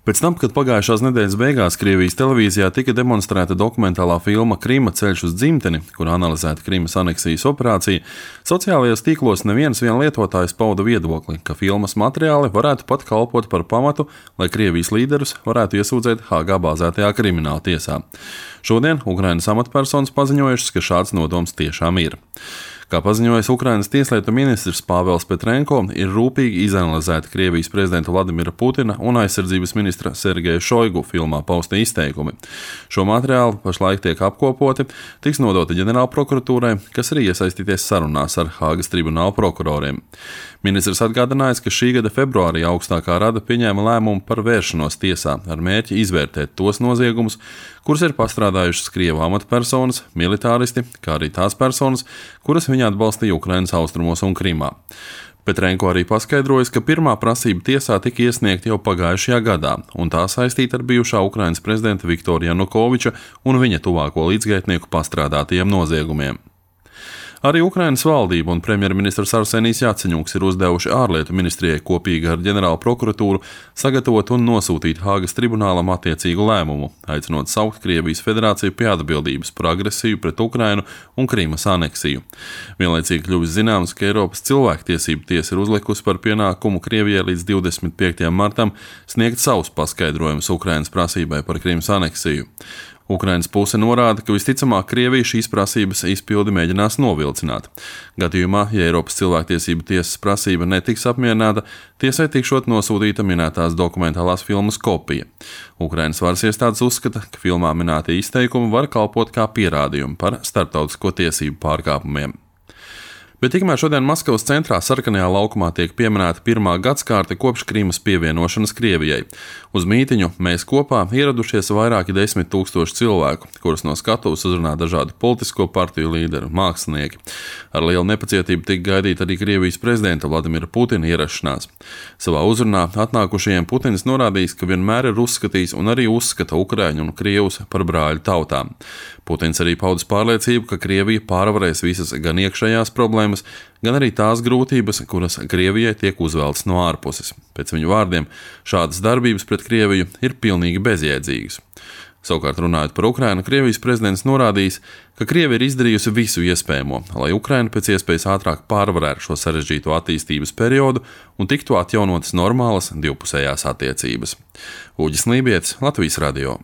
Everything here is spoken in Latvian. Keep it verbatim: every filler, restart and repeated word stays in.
Pēc tam, kad pagājušās nedēļas beigās Krievijas televīzijā tika demonstrēta dokumentālā filma Krima ceļš uz dzimteni, kur analizēta Krimas aneksijas operācija, sociālajos tīklos neviens vien lietotājs pauda viedokli, ka filmas materiāli varētu pat kalpot par pamatu, lai Krievijas līderus varētu iesūdzēt Hāgā bāzētajā krimināla tiesā. Šodien Ukrainas amatpersonas paziņojušas, ka šāds nodoms tiešām ir. Kā paziņojis Ukrainas tieslietu ministrs Pāvels Petrenko, ir rūpīgi izanalizēti Krievijas prezidenta Vladimira Putina un aizsardzības ministra Sergeja Šoigu filmā pausti izteikumi. Šo materiālu pašlaik tiek apkopoti, tiks nodoti ģenerālprokuratūrai, kas arī iesaistīties sarunās ar Hāgas tribunāla prokuroriem. Ministrs atgādinājis, ka šī gada februārī augstākā rada pieņēma lēmumu par vēršanos tiesā ar mērķi izvērtēt tos noziegumus, kurus ir pastrādājušas Krievu amatpersonas, militāristi, kā arī tās personas, kuras viņa atbalstīja Ukrainas austrumos un Krimā. Petrenko arī paskaidrojis, ka pirmā prasība tiesā tika iesniegta jau pagājušajā gadā, un tā saistīta ar bijušā Ukrainas prezidenta Viktora Janukoviča un viņa tuvāko līdzgaitnieku pastrādātajiem noziegumiem. Arī Ukrainas valdība un premjerministrs Arsenijs Jaceņuks ir uzdevuši ārlietu ministrijai kopīgi ar ģenerālu prokuratūru sagatavot un nosūtīt Hāgas tribunālam attiecīgu lēmumu, aicinot saukt Krievijas federāciju pie atbildības par agresiju pret Ukrainu un Krimas aneksiju. Vienlaicīgi kļuvis zināms, ka Eiropas cilvēktiesību tiesa ir uzlikusi par pienākumu Krievijai līdz divdesmit piektajam martam sniegt savus paskaidrojumus Ukrainas prasībai par Krimas aneksiju. Ukrainas puse norāda, ka visticamāk Krievija šīs prasības izpildi mēģinās novilcināt. Gadījumā, ja Eiropas cilvēktiesību tiesas prasība netiks apmierināta, tiesai tikšot nosūtīta minētās dokumentālās filmas kopija. Ukrainas varas iestādes uzskata, ka filmā minētie izteikumi var kalpot kā pierādījumi par starptautisko tiesību pārkāpumiem. Bet tikmēr šodien Maskavas centrā Sarkanajā laukumā tiek pieminēta pirmā gadskārte kopš Krimas pievienošanas Krievijai. Uz mītiņu Mēs kopā ieradušies vairāki desmit tūkstoši cilvēku, kurus no skatuves uzrunā dažādu politisko partiju līderi, mākslinieki. Ar lielu nepacietību tika gaidīta arī Krievijas prezidenta Vladimira Putina ierašanās. Savā uzrunā atnākušajiem Putins norādījis, ka vienmēr ir uzskatījis un arī uzskata Ukraiņu un Krievus par brāļu tautām. Putins arī paudis pārliecību, ka Krievija pārvarēs visas gan iekšējās problēmas, gan arī tās grūtības, kuras Krievijai tiek uzveltas no ārpuses. Pēc viņu vārdiem, šādas darbības pret Krieviju ir pilnīgi bezjēdzīgas. Savukārt runājot par Ukrainu, Krievijas prezidents norādījis, ka Krievija ir izdarījusi visu iespējamo, lai Ukraina pēc iespējas ātrāk pārvarētu šo sarežģīto attīstības periodu un tiktu atjaunotas normālas divpusējās attiecības. Uģis Lībietis, Latvijas radio.